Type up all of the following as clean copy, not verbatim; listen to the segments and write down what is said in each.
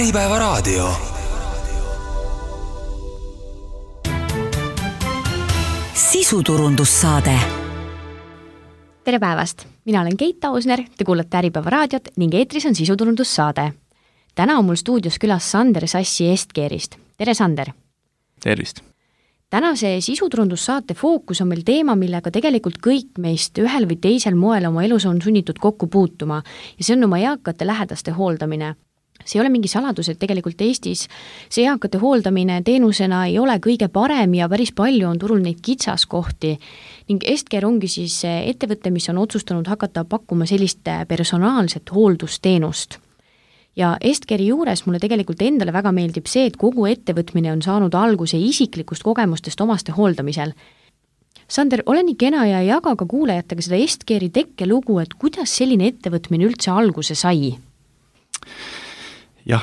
Äripäevaraadio. Sisuturundussaade. Tere päevast! Mina olen Keit Ausner, te kuulate Äripäevaraadiot ning eetris on sisuturundussaade. Täna on mul stuudios külas Sander Sassi Estkerist. Tere, Sander! Tervist! Tänase sisuturundussaate fookus on meil teema, millega tegelikult kõik meist ühel või teisel moel oma elus on sunnitud kokku puutuma ja see on oma eakate lähedaste hooldamine. See ei ole mingi saladus, et tegelikult Eestis see eakate hooldamine teenusena ei ole kõige parem ja päris palju on turul neid kitsaskohti ning Estker ongi siis ettevõte, mis on otsustanud hakata pakkuma sellist personaalset hooldusteenust. Ja Estkeri juures mulle tegelikult endale väga meeldib see, et kogu ettevõtmine on saanud alguse isiklikust kogemustest omaste hooldamisel. Sander, ole nii kena ja jaga ka kuulajatega seda Estkeri tekkelugu, et kuidas selline ettevõtmine üldse alguse sai? Jah,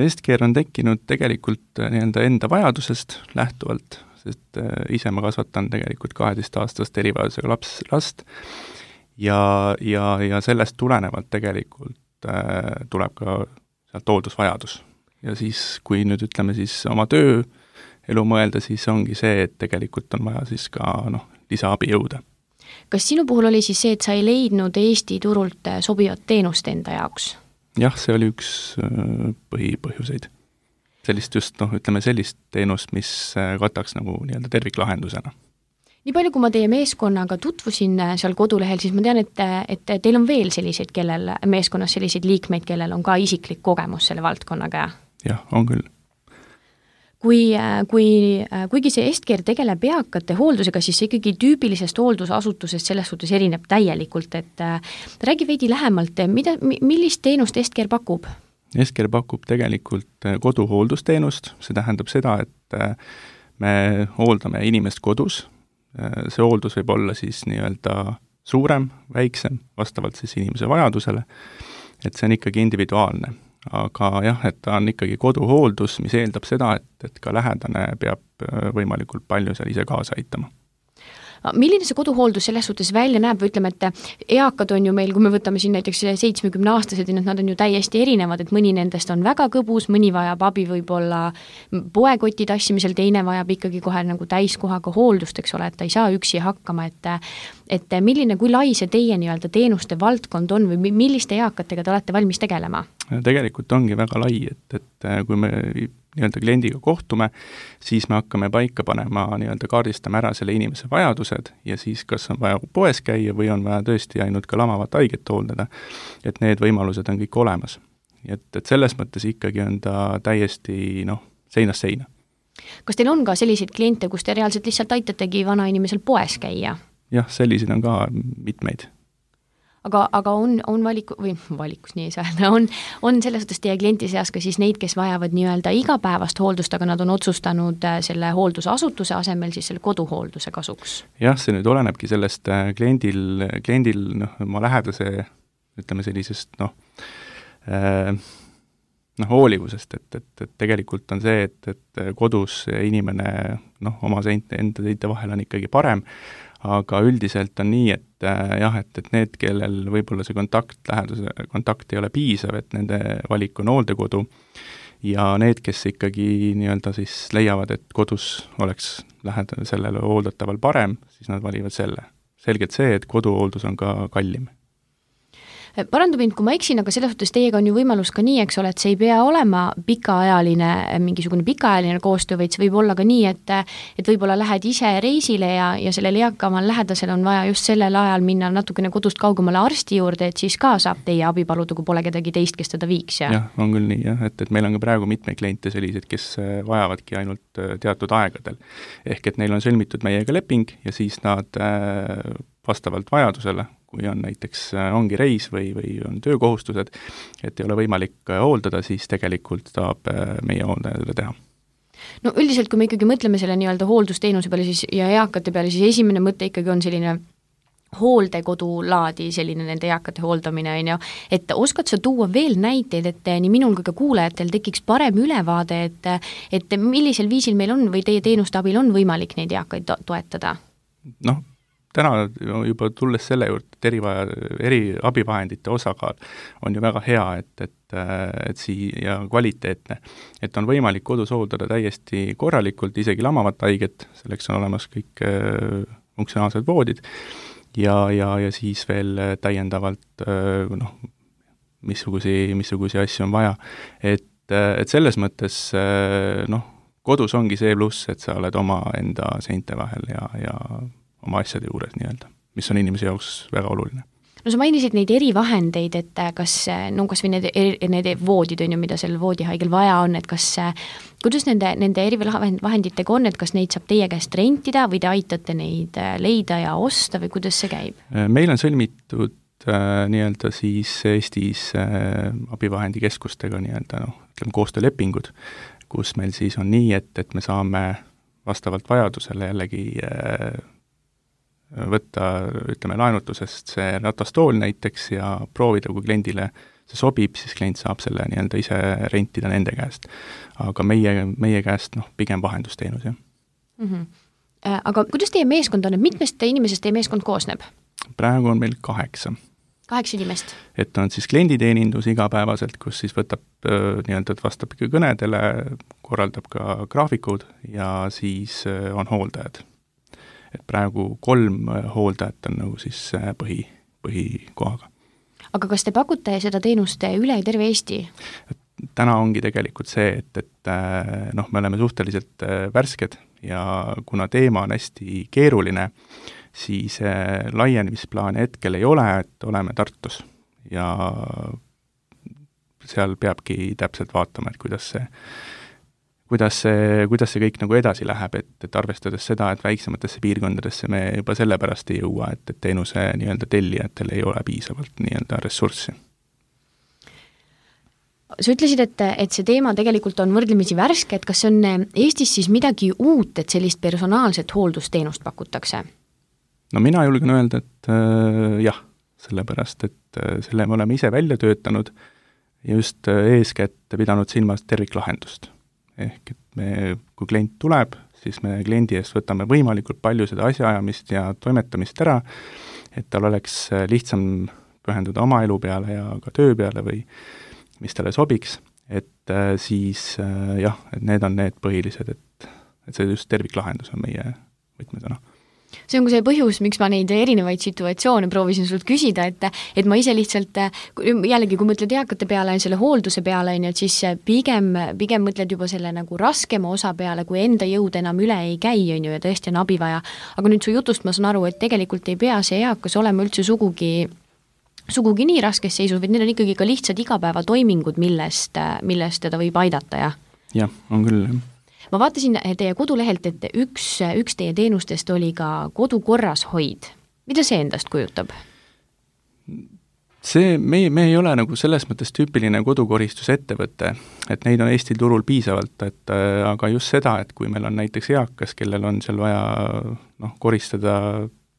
Estker on tekkinud tegelikult enda vajadusest lähtuvalt, sest ise ma kasvatan tegelikult 12-aastast erivajadusega last ja sellest tulenevalt tegelikult tuleb ka sealt hooldusvajadus. Ja siis, kui nüüd ütleme siis oma tööelu mõelda, siis ongi see, et tegelikult on vaja siis ka lisaabi jõuda. Kas sinu puhul oli siis see, et sa ei leidnud Eesti turult sobivat teenust enda jaoks? Jah, see oli üks põhipõhjuseid. Sellist teenust, mis kataks terviklahendusena. Nii palju, kui ma teie meeskonnaga tutvusin seal kodulehel, siis ma tean, et teil on veel selliseid, kellel meeskonnas selliseid liikmeid, kellel on ka isiklik kogemus selle valdkonnaga. Jah, on küll. Kuigi see Estker tegeleb eakate hooldusega, siis see ikkagi tüüpilisest hooldusasutusest selles suhtes erineb täielikult, et räägi veidi lähemalt, millist teenust Estker pakub? Estker pakub tegelikult koduhooldusteenust, see tähendab seda, et me hooldame inimest kodus. See hooldus võib olla siis suurem, väiksem, vastavalt siis inimese vajadusele, et see on ikkagi individuaalne. Aga jah, et ta on ikkagi koduhooldus, mis eeldab seda, et ka lähedane peab võimalikult palju seal ise kaasa aitama. Milline see koduhooldus selles suhtes välja näeb või ütleme, et eakad on ju meil, kui me võtame siin näiteks 70-aastased, nad on ju täiesti erinevad, et mõni nendest on väga kõbus, mõni vajab abi võib-olla poekoti tassimisel, teine vajab ikkagi kohe täiskohaga hooldust, eks ole, et ta ei saa üksi hakkama, et milline, kui lai see teie teenuste valdkond on või milliste eakatega te olete valmis tegelema? Tegelikult ongi väga lai, et kui me kliendiga kohtume, siis me hakkame paika panema, kaardistama ära selle inimese vajadused ja siis kas on vaja poes käia või on vaja tõesti ainult ka lamavat haiget hooldada, et need võimalused on kõik olemas. Et selles mõttes ikkagi on ta täiesti seinast seina. Kas teil on ka selliseid kliente, kus te reaalselt lihtsalt aitategi vana inimesel poes käia? Jah, selliseid on ka mitmeid. Aga on valikus nii ei saa, on selles suhtes teie klienti seas ka siis neid, kes vajavad igapäevast hooldust, aga nad on otsustanud selle hooldusasutuse asemel siis selle koduhoolduse kasuks? Jah, see nüüd olenebki sellest kliendil oma lähedase, ütleme sellisest hoolivusest, et tegelikult on see, et kodus inimene oma enda seinte vahel on ikkagi parem, aga üldiselt on nii, et need, kellel võib-olla see kontakt ei ole piisav, et nende valik on hooldekodu ja need, kes ikkagi siis leiavad, et kodus oleks sellele hooldataval parem, siis nad valivad selle. Selgelt see, et koduhooldus on ka kallim. Parandu mind, kui ma eksin, aga selles suhtes teiega on ju võimalus ka nii, eks ole, et see ei pea olema mingisugune pikaajaline koostöö, vaid see võib olla ka nii, et võib-olla lähed ise reisile ja sellel eakamal lähedasel on vaja just sellel ajal minna natukene kodust kaugemale arsti juurde, et siis ka saab teie abi paluda, kui pole kedagi teist, kes teda viiks. Jah, on küll nii, et meil on ka praegu mitmeid kliente sellised, kes vajavadki ainult teatud aegadel. Ehk et neil on sõlmitud meiega leping ja siis nad vastavalt vajadusele, kui on näiteks ongi reis või on töökohustused, et ei ole võimalik hooldada, siis tegelikult saab meie hooldajale teha. No üldiselt, kui me ikkagi mõtleme selle hooldusteenuse peale siis, ja eakate peale, siis esimene mõte ikkagi on selline hooldekodulaadi, selline nende eakate hooldamine, et oskad sa tuua veel näiteid, et nii minul kui ka kuulajatel tekiks parem ülevaade, et millisel viisil meil on või teie teenuste abil on võimalik neid eakaid toetada? täna juba tulles selle juurde, et eri abivahendite osakaal on ju väga hea, et ja kvaliteetne, et on võimalik kodus hooldada täiesti korralikult, isegi lamavat haiget, selleks on olemas kõik funktsionaalsed voodid ja siis veel täiendavalt missugusi asju on vaja. Et selles mõttes kodus ongi see pluss, et sa oled oma enda seinte vahel ja oma asjade juures nii-öelda, mis on inimese jaoks väga oluline. No sa mainisid neid erivahendeid, et kas või need voodid on ju, mida sellel voodihaigel vaja on, et kuidas nende erivahenditega on, et kas neid saab teie käest rentida või te aitate neid leida ja osta või kuidas see käib? Meil on sõlmitud nii-öelda siis Eestis abivahendikeskustega nii-öelda koostöölepingud, kus meil siis on nii, et me saame vastavalt vajadusele jällegi võtta, laenutusest see ratastool näiteks ja proovida, kui kliendile see sobib, siis klient saab selle nii-öelda ise rentida nende käest. Aga meie käest pigem vahendusteenus, jah. Aga kuidas teie meeskond on, et mitmest inimesest teie meeskond koosneb? Praegu on meil 8. 8 inimest? Et on siis klienditeenindus igapäevaselt, kus siis võtab nii-öelda, vastab ikka kõnedele, korraldab ka graafikud ja siis on hooldajad. Et praegu 3 hooldajat on nagu siis põhikohaga. Aga kas te pakute seda teenust üle terve Eesti? Täna ongi tegelikult see, et me oleme suhteliselt värsked ja kuna teema on hästi keeruline, siis laienemisplaani hetkel ei ole, et oleme Tartus ja seal peabki täpselt vaatama, et kuidas see kõik nagu edasi läheb, et arvestades seda, et väiksematesse piirkondadesse me juba sellepärast ei jõua, et teenuse nii-öelda tellijatel ei ole piisavalt nii-öelda ressurssi. Sa ütlesid, et see teema tegelikult on võrdlemisi värske, et kas on Eestis siis midagi uut, et sellist personaalset hooldusteenust pakutakse? No mina julgen öelda, et jah, sellepärast, et selle me oleme ise välja töötanud ja just eeskätt pidanud silmas terviklahendust. Ehk et kui klient tuleb, siis me kliendi eest võtame võimalikult palju seda asjaajamist ja toimetamist ära, et tal oleks lihtsam pühenduda oma elu peale ja ka töö peale või mis talle sobiks, et siis jah, et need on need põhilised, et see just terviklahendus on meie võtmesõna. See on ka see põhjus, miks ma neid erinevaid situatsioone proovisin sult küsida, et ma ise lihtsalt, jällegi kui mõtled eakate peale, selle hoolduse peale, et siis pigem mõtled juba selle nagu raskema osa peale, kui enda jõud enam üle ei käi, ja tõesti on abi vaja. Aga nüüd su jutust ma saan aru, et tegelikult ei pea see eakas olema üldse sugugi nii raskes seisus, vaid need on ikkagi ka lihtsad igapäevatoimingud, millest teda võib aidata, jah? Jah, on küll, jah. Ma vaatasin teie kodulehelt, et üks teie teenustest oli ka kodukorras hoid. Mida see endast kujutab? Me ei ole nagu selles mõttes tüüpiline kodukoristusettevõte, et neid on Eesti turul piisavalt, aga just seda, et kui meil on näiteks eakas, kellel on seal vaja koristada,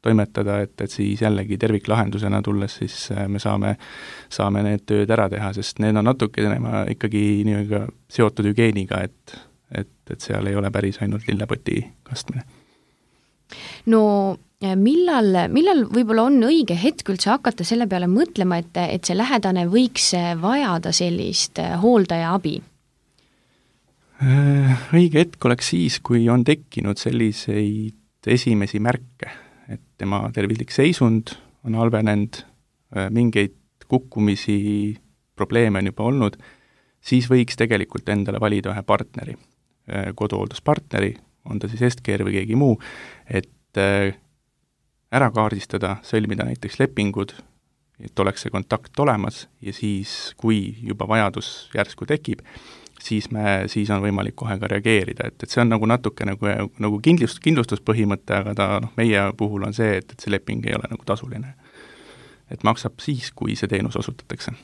toimetada, et siis jällegi terviklahendusena tulles, siis me saame need tööd ära teha, sest need on natuke ikkagi nii-öelda seotud hügieeniga, et seal ei ole päris ainult lillepoti kastmine. No millal võib-olla on õige hetk üldse hakata selle peale mõtlema, et see lähedane võiks vajada sellist hooldaja abi? Õige hetk oleks siis, kui on tekkinud selliseid esimesi märke, et tema tervislik seisund on halvenenud, mingeid kukkumisi, probleeme on juba olnud, siis võiks tegelikult endale valida ühe partneri, koduhoolduspartneri, on ta siis Estcare või keegi muu, et ära kaardistada, sõlmida näiteks lepingud, et oleks see kontakt olemas ja siis, kui juba vajadus järsku tekib, siis on võimalik kohe ka reageerida, et see on nagu natuke nagu kindlustuspõhimõte, aga ta meie puhul on see, et see leping ei ole nagu tasuline. Et maksab siis, kui see teenus osutatakse.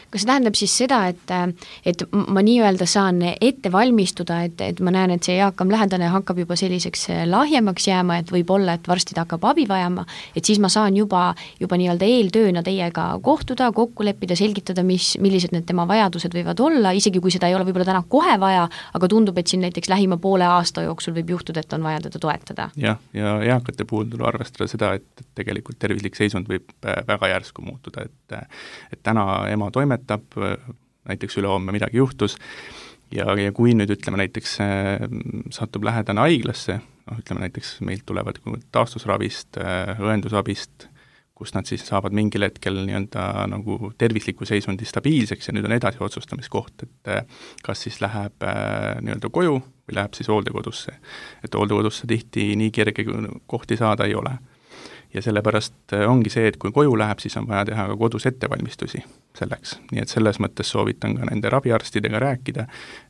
Kas see tähendab siis seda, et ma nii-öelda saan ette valmistuda, et ma näen, et see eakam lähedane hakkab juba selliseks lahjemaks jääma, et võib-olla, et varsti ta hakkab abi vajama, et siis ma saan juba nii-öelda eeltööna teiega kohtuda, kokku leppida, selgitada, millised need tema vajadused võivad olla, isegi kui seda ei ole võib-olla täna kohe vaja, aga tundub, et siin näiteks lähima poole aasta jooksul võib juhtuda, et on vaja teda toetada. Ja eakate puhul tuleb arvestada seda, et tegelikult tervislik seisund võib väga järsku muutuda, et täna ema toimetab, näiteks ülehomme midagi juhtus ja kui nüüd ütleme näiteks satub lähedane haiglasse, ütleme näiteks meilt tulevad taastusravist, õendusabist, kus nad siis saavad mingil hetkel nii-öelda nagu tervisliku seisundi stabiilseks ja nüüd on edasi otsustamiskoht, et kas siis läheb nii-öelda koju või läheb siis hooldekodusse. Et hooldekodusse tihti nii kerge kohti saada ei ole. Ja sellepärast ongi see, et kui koju läheb, siis on vaja teha ka kodus ettevalmistusi selleks. Nii et selles mõttes soovitan ka nende raviarstidega rääkida,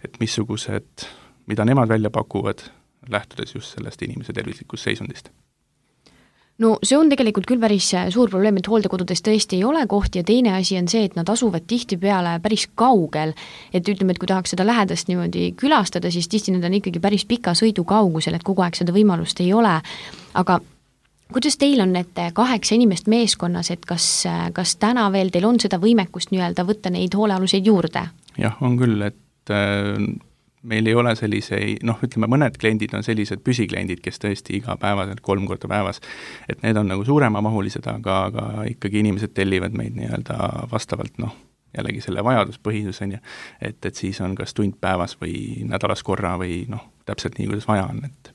et missugused, mida nemad välja pakuvad, lähtudes just sellest inimese tervislikust seisundist. No see on tegelikult küll päris suur probleem, et hooldekodudes tõesti ei ole kohti ja teine asi on see, et nad asuvad tihtipeale päris kaugel, et ütleme, et kui tahaks seda lähedast niimoodi külastada, siis tihti need on ikkagi päris pika sõidu kaugusel, et kogu aeg seda võimalust ei ole, aga kuidas teil on need 8 inimest meeskonnas, et kas täna veel teil on seda võimekust nii-öelda võtta neid hoolealuseid juurde? Jah, on küll, et meil ei ole selliseid, ütleme mõned kliendid on sellised püsikliendid, kes tõesti igapäevaselt 3 korda päevas, et need on nagu suuremamahulised, aga ikkagi inimesed tellivad meid nii-öelda vastavalt, jällegi selle vajaduspõhisuseni, et siis on kas tund päevas või nädalas korra või täpselt nii, kuidas vaja on, et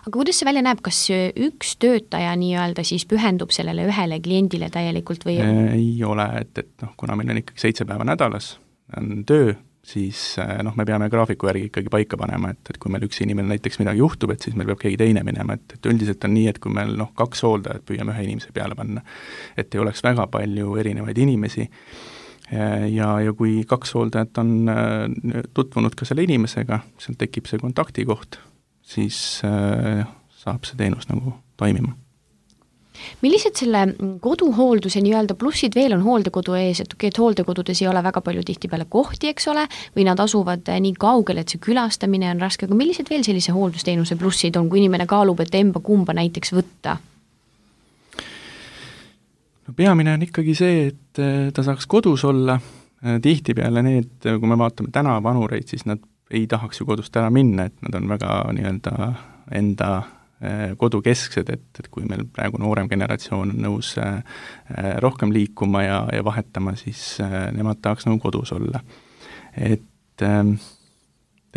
aga kuidas see välja näeb, kas üks töötaja nii-öelda siis pühendub sellele ühele kliendile täielikult või? Ei ole, et kuna meil on ikkagi 7 päeva nädalas, on töö, siis me peame graafiku järgi ikkagi paika panema, et kui meil üks inimene näiteks midagi juhtub, et siis meil peab keegi teine minema, et üldiselt on nii, et kui meil 2 hooldajat püüame ühe inimese peale panna, et ei oleks väga palju erinevaid inimesi ja kui 2 hooldajat on tutvunud ka selle inimesega, seal tekib see kontaktikoht, siis saab see teenus nagu toimima. Millised selle koduhoolduse nii-öelda plussid veel on hooldekodu ees, et hooldekodudes ei ole väga palju tihtipeale kohti, eks ole, või nad asuvad nii kaugel, et see külastamine on raske, aga millised veel sellise hooldusteenuse plussid on, kui inimene kaalub, et kumba näiteks võtta? No peamine on ikkagi see, et ta saaks kodus olla, tihtipeale need, kui me vaatame täna vanureid, siis nad ei tahaks ju kodust ära minna, et nad on väga nii-öelda enda kodukesksed, et kui meil praegu noorem generatsioon on nõus rohkem liikuma ja vahetama, siis nemad tahaks nagu kodus olla. Et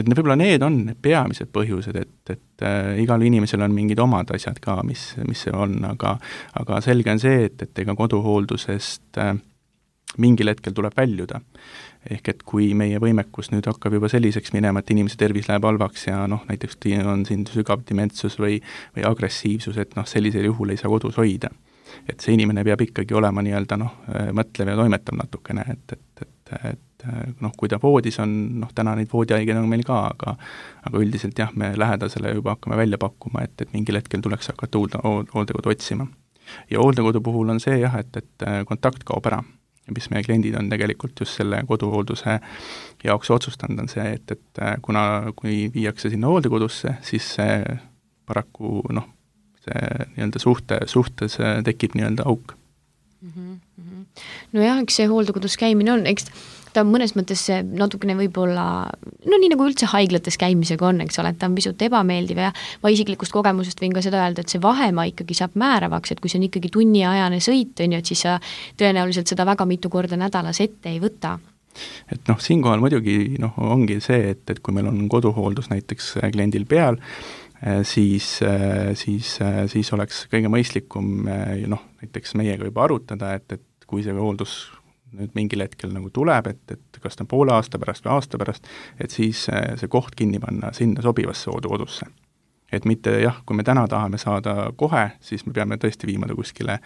võib-olla need on peamised põhjused, et igal inimesel on mingid omad asjad ka, mis see on, aga selge on see, et ega koduhooldusest mingil hetkel tuleb väljuda. Ehk et kui meie võimekus nüüd hakkab juba selliseks minema, et inimese tervis läheb halvaks ja näiteks on siin sügav dementsus või agressiivsus, et sellisel juhul ei saa kodus hoida. Et see inimene peab ikkagi olema nii-öelda mõtlev ja toimetav natukene, et kui ta voodis on, täna neid voodihaiged on meil ka, aga üldiselt jah, me lähedasele juba hakkame välja pakkuma, et mingil hetkel tuleks hakata hooldekodu otsima. Ja hooldekodu puhul on see jah, et kontakt kaob ära. Ja mis meie kliendid on tegelikult just selle koduhoolduse jaoks otsustanud, on see, et kui viiakse sinna hooldekodusse, siis see paraku see nii-öelda suhtes tekib nii-öelda auk. No jah, eks see hooldekodus käimine on, eks ta mõnes mõttes natukene võib-olla, nii nagu üldse haiglates käimisega on, eks ole, et ta on pisut ebameeldiv ja ma isiklikust kogemusest võin ka seda öelda, et see vahemaa ikkagi saab määravaks, et kui see on ikkagi tunniajane sõit, et siis sa tõenäoliselt seda väga mitu korda nädalas ette ei võta. Et siinkohal muidugi ongi see, et kui meil on koduhooldus näiteks kliendil peal, siis oleks kõige mõistlikum näiteks meiega juba arutada, et kui see hooldus nüüd mingil hetkel nagu tuleb, et kas ta on poole aasta pärast või aasta pärast, et siis see koht kinni panna sinna sobivasse hooldekodusse. Et mitte jah, kui me täna tahame saada kohe, siis me peame tõesti viima ta kuskile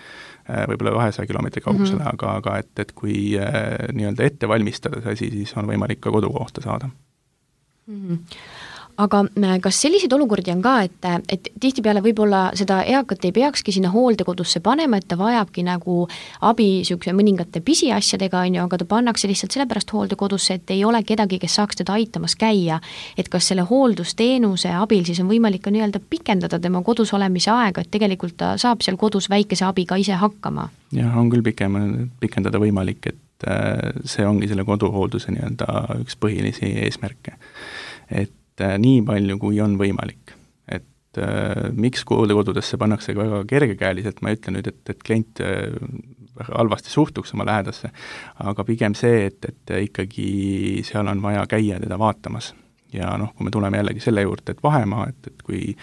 võib-olla 200 kilomeetri kaugusele, aga et kui nii-öelda ette valmistada see asi, siis on võimalik ka kodukohta saada. aga kas selliseid olukordi on ka, et tihtipeale võib-olla seda eakat ei peakski sinna hooldekodusse panema, et ta vajabki nagu abi niisuguse mõningate pisiasjadega, on ju, aga ta pannakse lihtsalt sellepärast hooldekodusse, et ei ole kedagi, kes saaks teda aitamas käia. Et kas selle hooldusteenuse abil siis on võimalik ka nii-öelda pikendada tema kodus olemise aega, et tegelikult ta saab seal kodus väikese abiga ise hakkama? Jah, on küll pikendada võimalik, et see ongi selle koduhoolduse nii-öelda üks põhilisi eesmärke. Et nii palju, kui on võimalik. Et miks hooldekodudesse pannakse ka väga kergekäeliselt, ma ei ütle nüüd, et klient väga halvasti suhtuks oma lähedasse, aga pigem see, et ikkagi seal on vaja käia teda vaatamas. Ja kui me tuleme jällegi selle juurde, et vahemaa, et kui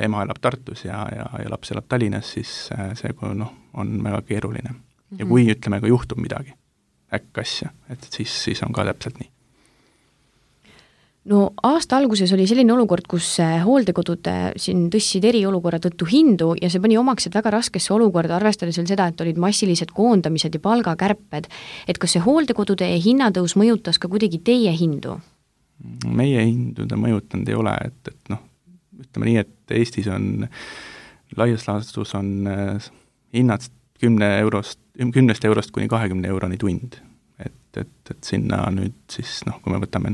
ema elab Tartus ja laps elab Tallinnas, siis see on väga keeruline. Ja kui ütleme, ka juhtub midagi, äkkasja, et siis on ka täpselt nii. No aasta alguses oli selline olukord, kus hooldekodud siin tõstsid eriolukorra tõttu hindu ja see pani omaksed väga raskesse olukorda, arvestades veel seda, et olid massilised koondamised ja palgakärped. Et kas see hooldekodude hinnatõus mõjutas ka kuidagi teie hindu? Meie hindu ta mõjutanud ei ole, et ütleme nii, et Eestis on laias laastus on hinnad 10 eurost kuni 20 euroni tund. Et sinna nüüd siis, kui me võtame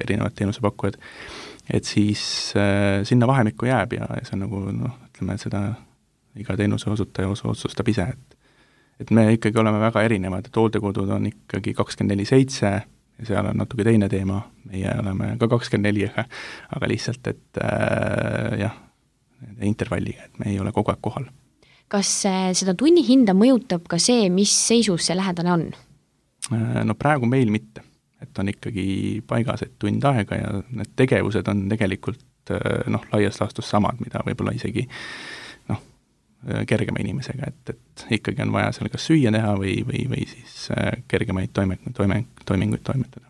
erinevad teenusepakkujad, et siis sinna vahemikku jääb ja see on ütleme, seda iga teenuse osutaja otsustab ise, et me ikkagi oleme väga erinevad, et hooldekodud on ikkagi 24/7 ja seal on natuke teine teema, meie oleme ka 24, aga lihtsalt, et intervalliga, et me ei ole kogu aeg kohal. Kas seda tunnihinda mõjutab ka see, mis seisus see lähedane on? No praegu meil mitte, et on ikkagi paigas, et tund aega ja need tegevused on tegelikult laias laastus samad, mida võib-olla isegi kergema inimesega, et ikkagi on vaja seal kas süüa teha või siis kergemaid toiminguid toimetada.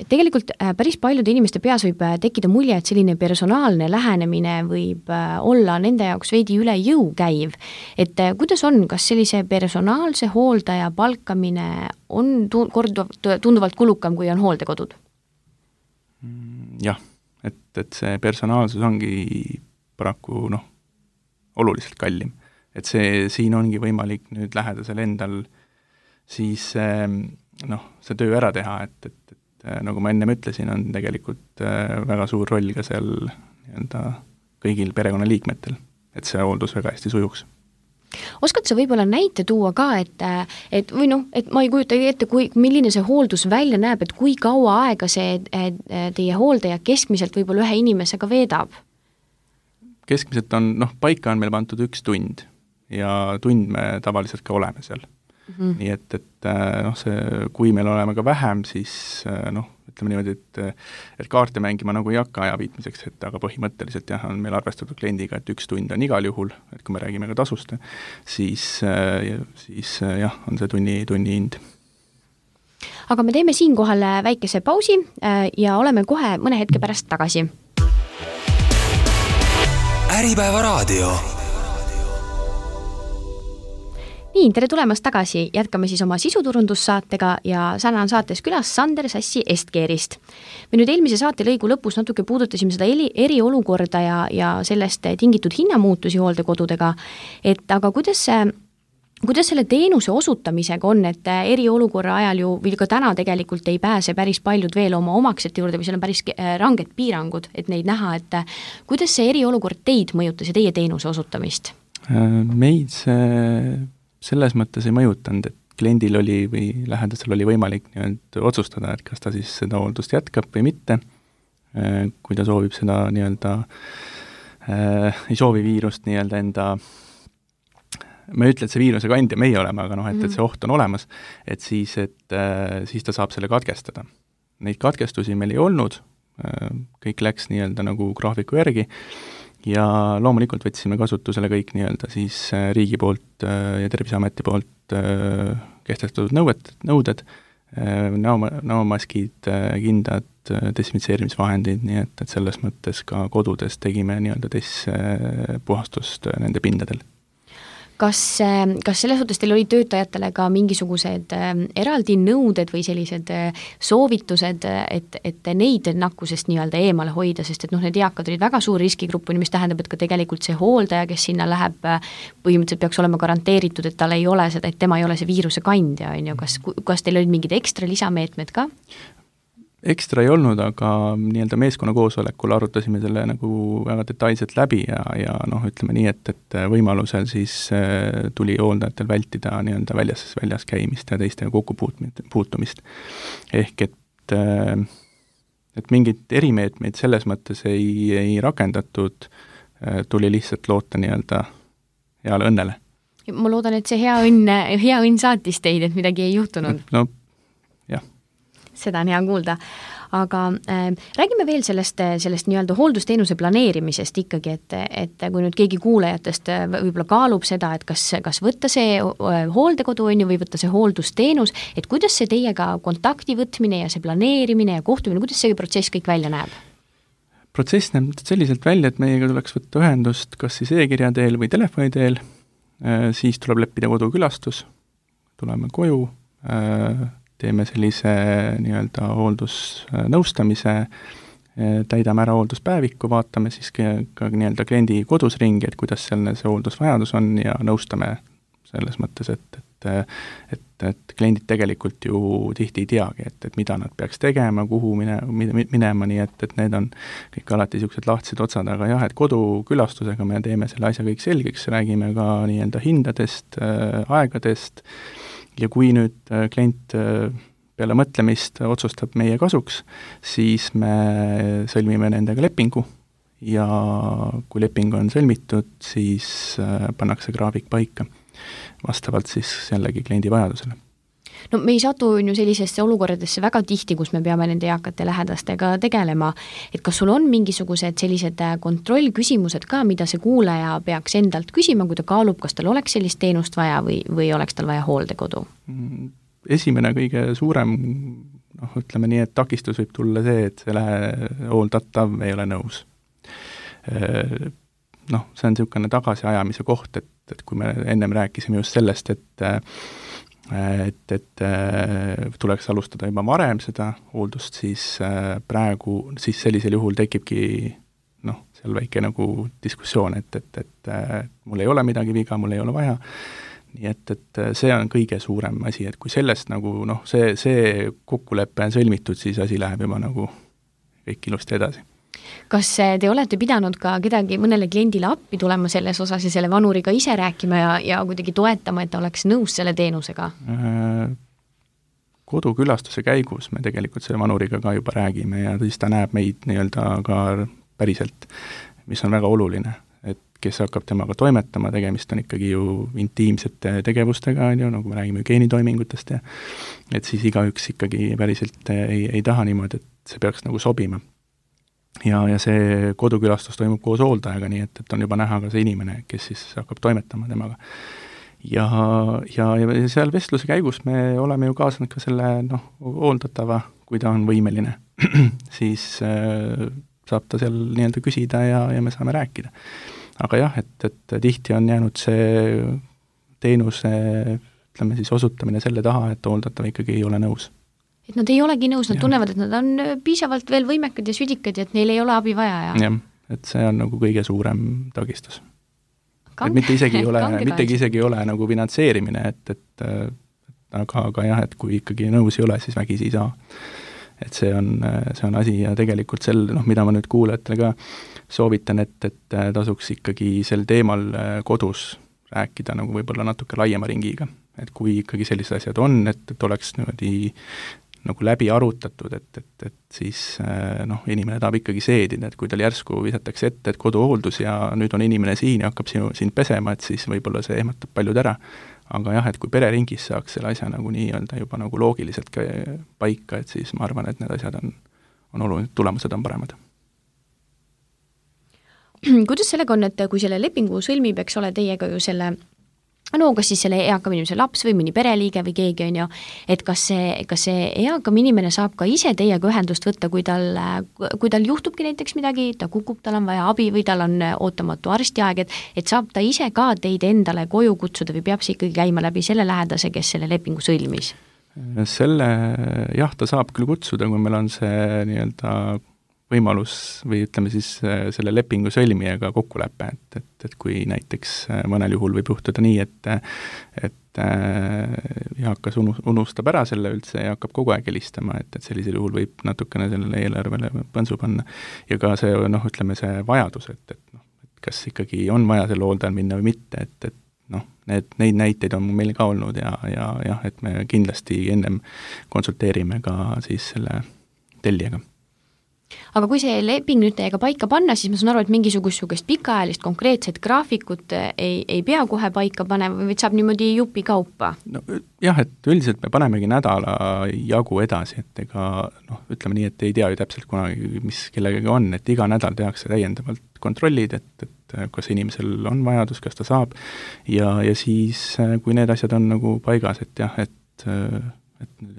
Tegelikult päris paljude inimeste peas võib tekkida mulje, et selline personaalne lähenemine võib olla nende jaoks veidi üle jõu käiv. Et kuidas on, kas sellise personaalse hooldaja palkamine on tunduvalt kulukam, kui on hooldekodud? Jah, et see personaalsus ongi paraku oluliselt kallim. Et siin ongi võimalik nüüd lähedasel endal siis see töö ära teha, et nagu ma ennem ütlesin, on tegelikult väga suur roll ka seal kõigil perekonnaliikmetel, et see hooldus väga hästi sujuks. Oskad sa võib-olla näite tuua ka, et ma ei kujuta ette, milline see hooldus välja näeb, et kui kaua aega see teie hooldaja keskmiselt võib-olla ühe inimesega veedab? Keskmiselt on, paika on meil pandud 1 tund ja tund me tavaliselt ka oleme seal. Nii et kui meil oleme ka vähem, siis ütleme niimoodi, et kaarte mängima nagu ei hakka aja viitmiseks, aga põhimõtteliselt on meil arvestatud kliendiga, et 1 tund on igal juhul, et kui me räägime ka tasust, siis on see tunni hind. Aga me teeme siinkohal väikese pausi ja oleme kohe mõne hetke pärast tagasi. Äripäeva raadio. Nii, tere tulemast tagasi, jätkame siis oma sisuturundussaatega ja täna on saates külas Sander Sassi Estkeerist. Me nüüd eelmise saate lõigu lõpus natuke puudutasime seda eriolukorda ja sellest tingitud hinnamuutusi hooldekodudega, et aga kuidas selle teenuse osutamisega on, et eriolukorra ajal ju või ka täna tegelikult ei pääse päris paljud veel oma omaksete juurde või seal on päris ranged piirangud, et neid näha, et kuidas see eriolukord teid mõjutas ja teie teenuse osutamist? Meid selles mõttes ei mõjutanud, et kliendil oli või lähedasel oli võimalik otsustada, et kas ta siis seda hooldust jätkab või mitte, kui ta soovib seda ei soovi viirust enda, ma ei ütle, et see viiruse kandja meie oleme, aga et see oht on olemas, et siis ta saab selle katkestada. Neid katkestusi meil ei olnud, kõik läks nagu graafiku järgi, ja loomulikult võtsime kasutusele kõik siis riigi poolt ja Terviseameti poolt kehtestatud nõuded, näomaskid, kindad, desinfitseerimisvahendid, nii et selles mõttes ka kodudes tegime puhastust nende pindadel. kas selles suhtes teil oli töötajatele ka mingisugused eraldi nõuded või sellised soovitused, et neid nakkusest nii-öelda eemale hoida, sest et need eakad olid väga suur riskigrupp, mis tähendab, et ka tegelikult see hooldaja, kes sinna läheb, põhimõtteliselt peaks olema garanteeritud, et tal ei ole seda, et tema ei ole see viiruse kandja, on ju, kas teil olid mingid ekstra lisameetmed ka? Ekstra ei olnud, aga nii-öelda meeskonna koosolekul arutasime selle nagu väga detailselt läbi ja ütleme nii, et võimalusel siis tuli hooldajatel vältida nii-öelda väljas käimist ja teistega kokkupuutumist. Ehk et mingid erimeetmeid selles mõttes ei rakendatud, tuli lihtsalt loota nii-öelda heale õnnele. Ma loodan, et see hea õnn saatis teid, et midagi ei juhtunud. No, jah. Seda on hea kuulda. Aga räägime veel sellest nii-öelda hooldusteenuse planeerimisest ikkagi, et kui nüüd keegi kuulajatest võib-olla kaalub seda, et kas võtta see hooldekodu on ju, või võtta see hooldusteenus, et kuidas see teiega kontakti võtmine ja see planeerimine ja kohtumine, kuidas see protsess kõik välja näeb? Protsess näeb selliselt välja, et meiega tuleks võtta ühendust kas siis e-kirja teel või telefoni teel, siis tuleb leppida kodukülastus, tuleme koju, teeme sellise nii-öelda hooldusnõustamise, täidame ära hoolduspäeviku, vaatame siis ka nii-öelda kliendi kodus ringi, et kuidas see hooldusvajadus on ja nõustame selles mõttes, et kliendid tegelikult ju tihti ei teagi, et mida nad peaks tegema, kuhu minema, nii et need on kõik alati niisugused lahtised otsad, aga jah, et kodukülastusega me teeme selle asja kõik selgeks, räägime ka nii-öelda hindadest, aegadest, ja kui nüüd klient peale mõtlemist otsustab meie kasuks, siis me sõlmime nendega lepingu ja kui leping on sõlmitud, siis pannakse graafik paika vastavalt siis jällegi kliendi vajadusele. No me ei satu ju sellisesse olukordadesse väga tihti, kus me peame nende eakate lähedastega tegelema, et kas sul on mingisugused sellised kontrollküsimused ka, mida see kuulaja peaks endalt küsima, kui ta kaalub, kas tal oleks sellist teenust vaja või oleks tal vaja hooldekodu? Esimene kõige suurem, ütleme nii, et takistus võib tulla see, et see hooldatav ei ole nõus. See on niisugune tagasiajamise koht, et kui me ennem rääkisime just sellest, et tuleks alustada juba varem seda hooldust, siis sellisel juhul tekibki seal väike nagu diskussioon, et mul ei ole midagi viga, mul ei ole vaja, nii et see on kõige suurem asi, et kui sellest nagu see kokkulepe on sõlmitud, siis asi läheb juba nagu kõik ilusti edasi. Kas te olete pidanud ka kedagi mõnele kliendile appi tulema selles osas ja selle vanuriga ise rääkima ja kuidagi toetama, et ta oleks nõus selle teenusega? Kodukülastuse käigus me tegelikult selle vanuriga ka juba räägime ja siis ta näeb meid nii-öelda ka päriselt, mis on väga oluline, et kes hakkab temaga toimetama, tegemist on ikkagi ju intiimsete tegevustega, nagu me räägime hügieenitoimingutest ja et siis igaüks ikkagi päriselt ei taha niimoodi, et see peaks nagu sobima. Ja see kodukülastus toimub koos hooldajaga, nii et on juba näha ka see inimene, kes siis hakkab toimetama temaga. Ja seal vestluse käigus me oleme ju kaasanud ka selle hooldatava, kui ta on võimeline, siis saab ta seal nii-öelda küsida ja me saame rääkida. Aga jah, et tihti on jäänud see teenuse, ütleme siis osutamine selle taha, et hooldatav ikkagi ei ole nõus. Et nad ei olegi nõus, nad tunnevad, et nad on piisavalt veel võimekad ja südikad ja et neil ei ole abi vaja. Jah, et see on nagu kõige suurem takistus. Et mitte isegi ei ole nagu finantseerimine, aga jah, et kui ikkagi nõus ei ole, siis vägisi ei saa. Et see on asi ja tegelikult mida ma nüüd kuulajatele ka soovitan, et tasuks ikkagi sel teemal kodus rääkida nagu võib-olla natuke laiema ringiga. Et kui ikkagi sellised asjad on, et oleks niimoodi nagu läbi arutatud, et siis inimene tahab ikkagi seedida, et kui tal järsku visatakse ette, et koduhooldus ja nüüd on inimene siin ja hakkab siin pesema, et siis võib-olla see ehmatab paljud ära. Aga jah, et kui pereringis saaks selle asja nagu nii-öelda juba nagu loogiliselt ka paika, et siis ma arvan, et need asjad on olulised, tulemused on paremad. Kuidas sellega on, et kui selle lepingu sõlmib, eks ole, teiega ju selle no kas siis selle eakam inimese laps või mõni pereliige või keegi on ju, et kas see eakam inimene saab ka ise teiega ühendust võtta, kui tal juhtubki näiteks midagi, ta kukub, tal on vaja abi või tal on ootamatu arstiaeg, et saab ta ise ka teid endale koju kutsuda või peab see ikkagi käima läbi selle lähedase, kes selle lepingu sõlmis? Ta saab küll kutsuda, kui meil on see nii-öelda võimalus või ütleme siis selle lepingu sõlmijaga kokkulepe, et kui näiteks mõnel juhul võib juhtuda nii, et eakas unustab ära selle üldse ja hakkab kogu aeg helistama, et sellisel juhul võib natukene sellele eelarvele põnsu panna. Ja ka see, ütleme see vajadus, et kas ikkagi on vaja selle hooldajal minna või mitte, et neid näiteid on meil ka olnud ja et me kindlasti ennem konsulteerime ka siis selle tellijaga. Aga kui see leping nüüd teiega paika panna, siis ma saan aru, et mingisugust pikaajalist konkreetset graafikut ei pea kohe paika panema või saab niimoodi jupi kaupa? No jah, et üldiselt me panemegi nädala jagu edasi, et ega ütleme nii, et ei tea ju täpselt kunagi, mis kellegagi on, et iga nädal tehakse täiendavalt kontrollid, et kas inimesel on vajadus, kas ta saab ja siis, kui need asjad on nagu paigas, et jah, et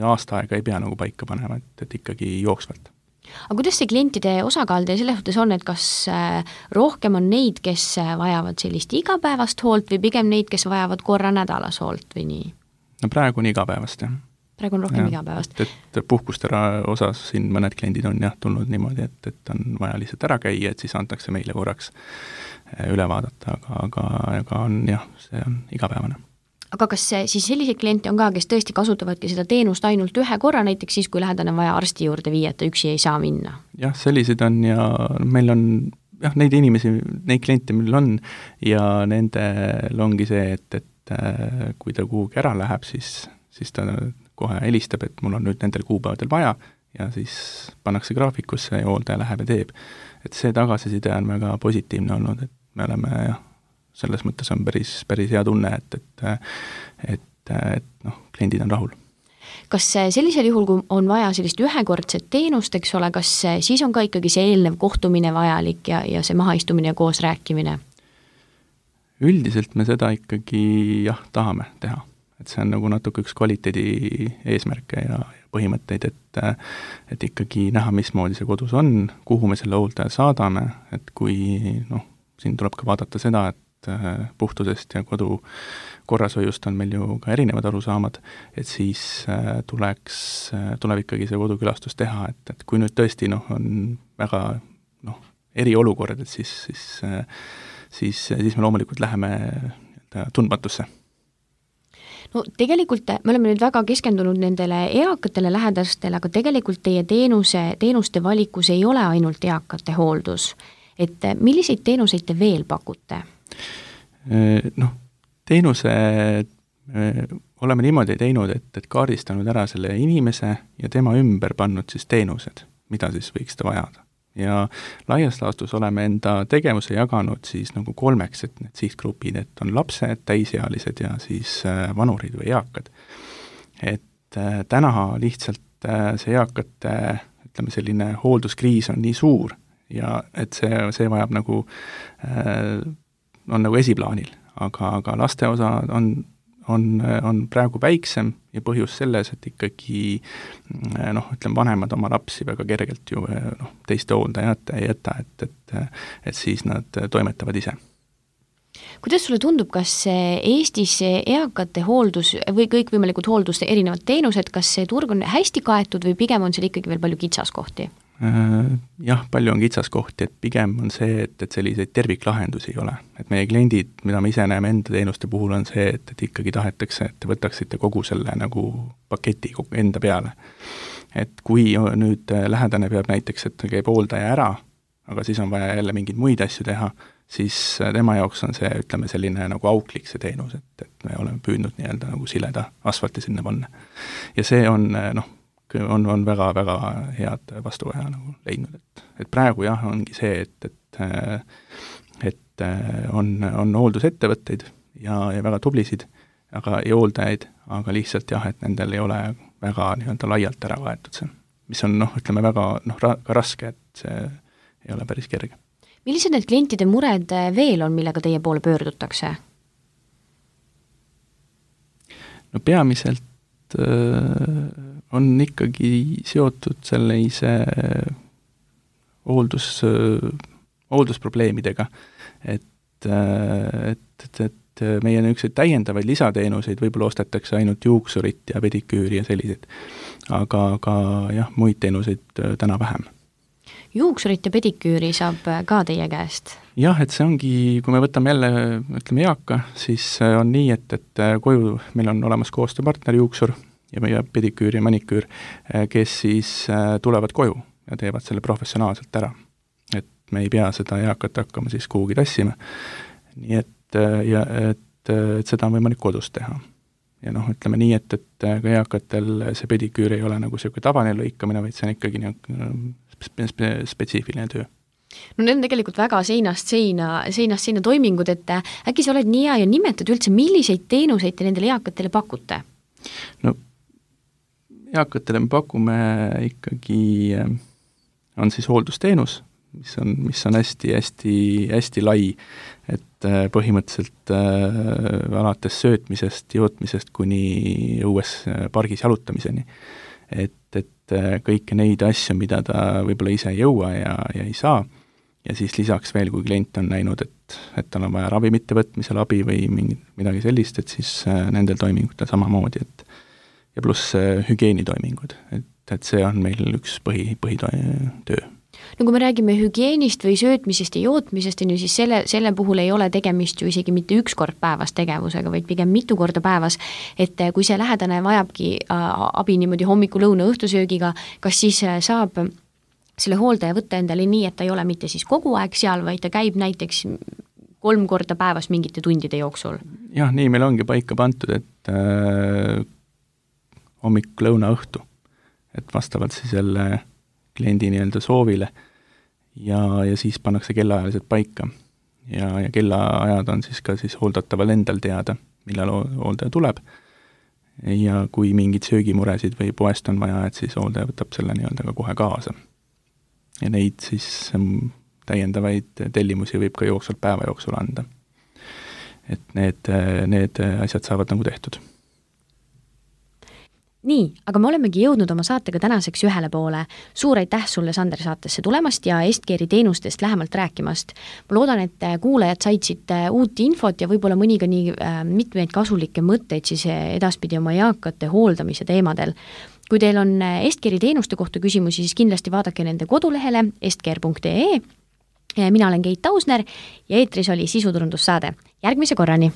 aasta aega ei pea nagu paika panema, et ikkagi jooksvalt. Aga kuidas see klientide osakaal teie selles suhtes on, et kas rohkem on neid, kes vajavad sellist igapäevast hoolt või pigem neid, kes vajavad korra nädalas hoolt või nii? No praegu on igapäevast, jah. Praegu on rohkem igapäevast. Et puhkuste osas siin mõned kliendid on jah tulnud niimoodi, et on vaja lihtsalt ära käia, et siis antakse meile korraks üle vaadata, aga on jah, see on igapäevane. Aga kas siis selliseid kliente on ka, kes tõesti kasutavadki seda teenust ainult ühe korra, näiteks siis, kui lähedane on vaja arsti juurde viia, et ta üksi ei saa minna? Jah, selliseid on ja meil on jah, neid inimesi, neid kliente meil on ja nendel ongi see, et kui ta kuhugi ära läheb, siis ta kohe helistab, et mul on nüüd nendel kuupäevadel vaja ja siis pannakse graafikusse ja hooldaja läheb ja teeb. Et see tagasiside on väga positiivne olnud, et me oleme jah, selles mõttes on päris hea tunne, et kliendid on rahul. Kas sellisel juhul, kui on vaja sellist ühekordset teenust, eks ole, kas siis on ka ikkagi see eelnev kohtumine vajalik ja see mahaistumine ja koos rääkimine? Üldiselt me seda ikkagi jah, tahame teha. Et see on nagu natuke üks kvaliteedi eesmärke ja põhimõtteid, et ikkagi näha, mismoodi see kodus on, kuhu me selle hooldaja saadame, et kui siin tuleb ka vaadata seda, et puhtusest ja kodu korrashoiust on meil ju ka erinevad arusaamad, et siis tuleb ikkagi see kodukülastus teha, et kui nüüd tõesti on väga eriolukord, et siis me loomulikult läheme tundmatusse. No tegelikult me oleme nüüd väga keskendunud nendele eakatele lähedastele, aga tegelikult teie teenuste valikus ei ole ainult eakate hooldus. Et milliseid teenuseid te veel pakute? Teenused oleme niimoodi teinud, et kaardistanud ära selle inimese ja tema ümber pannud siis teenused, mida siis võiks ta vajada. Ja laias laastus oleme enda tegevuse jaganud siis nagu 3, et need sihtgrupid, et on lapsed, täisealised ja siis vanurid või eakad. Et täna lihtsalt see eakate, ütleme selline hoolduskriis on nii suur ja et see vajab nagu, on nagu esiplaanil, aga laste osa on praegu väiksem ja põhjus selles, et ikkagi ütleme, vanemad oma lapsi väga kergelt ju teiste hooldajate ei jäta, et siis nad toimetavad ise. Kuidas sulle tundub, kas Eestis eakate hooldus või kõikvõimalikud hoolduste erinevad teenused, kas see turg on hästi kaetud või pigem on seal ikkagi veel palju kitsaskohti? Jah, palju on kitsaskohti, et pigem on see, et selliseid terviklahendusi ei ole. Et meie kliendid, mida me ise näeme enda teenuste puhul, on see, et ikkagi tahetakse, et te võtaksite kogu selle nagu paketi enda peale. Et kui nüüd lähedane peab näiteks, et käib hooldaja ära, aga siis on vaja jälle mingeid muid asju teha, siis tema jaoks on see, ütleme, selline nagu auklik see teenus, et me oleme püüdnud nii-öelda nagu sileda asfalti sinna panna. Ja see on on väga-väga head vastuvaja nagu leidnud, et praegu jah, ongi see, et on hooldusettevõtteid ja väga tublisid, aga ei hooldajaid, aga lihtsalt jah, et nendel ei ole väga nii-öelda laialt ära kaetud see, mis on ütleme väga ka raske, et see ei ole päris kerge. Millised need klientide mured veel on, millega teie poole pöördutakse? no peamiselt on ikkagi seotud sellise hooldusprobleemidega, et meie niisuguseid täiendavaid lisateenuseid võib-olla ostetakse ainult juuksurit ja pediküüri ja selliseid, aga jah, muid teenuseid täna vähem. Juuksurit ja pediküüri saab ka teie käest? Jah, et see ongi, kui me võtame jälle, ütleme eaka, siis on nii, et koju meil on olemas koostööpartner juuksur ja pediküür ja maniküür, kes siis tulevad koju ja teevad selle professionaalselt ära. Et me ei pea seda eakat hakkama siis kuhugi tassima. Nii et seda on võimalik kodus teha. Ja ütleme nii, et ka eakatel see pediküür ei ole nagu selline tavaline lõikamine, vaid see on ikkagi spetsiifiline töö. No need on tegelikult väga seinast seina toimingud, et äkki sa oled nii hea ja nimetad üldse, milliseid teenuseid te nendele eakatele pakute? No eakatele me pakume ikkagi, on siis hooldusteenus, mis on hästi lai, et põhimõtteliselt alates söötmisest, jootmisest kuni õues pargis jalutamiseni. Et kõiki neid asju, mida ta võib-olla ise ei jõua ja ei saa, ja siis lisaks veel, kui klient on näinud, et tal on vaja ravimite võtmisel abi või midagi sellist, et siis nendel toimingutel samamoodi, ja pluss hügieenitoimingud, et see on meil üks põhitöö. No kui me räägime hügieenist või söötmisest ja jootmisest, siis selle puhul ei ole tegemist ju isegi mitte üks kord päevas tegevusega, vaid pigem mitu korda päevas, et kui see lähedane vajabki abi niimoodi hommiku, lõuna, õhtusöögiga, kas siis saab selle hooldaja võtta endale nii, et ta ei ole mitte siis kogu aeg seal, vaid ta käib näiteks 3 korda päevas mingite tundide jooksul? Jah, nii meil ongi paika pantud, et hommik, lõuna, õhtu, et vastavalt siis jälle kliendi soovile ja siis pannakse kellaajalised paika ja kellaajad on siis ka siis hooldataval endal teada, millal hooldaja tuleb ja kui mingid söögimuresid või poest on vaja, et siis hooldaja võtab selle ka kohe kaasa. Ja neid siis täiendavaid tellimusi võib ka jooksvalt päeva jooksul anda. Et need asjad saavad tehtud. Nii, aga me olemegi jõudnud oma saatega tänaseks ühele poole. Suur aitäh sulle, Sander, saatesse tulemast ja Est-Care'i teenustest lähemalt rääkimast. Ma loodan, et kuulajad said siit uut infot ja võib-olla mõniga nii mitmeid kasulikke mõtteid siis edaspidi oma eakate hooldamise teemadel. Kui teil on Est-Care'i teenuste kohta küsimusi, siis kindlasti vaadake nende kodulehele estcare.ee. Mina olen Keit Tausner ja eetris oli sisuturundussaade. Järgmise korrani!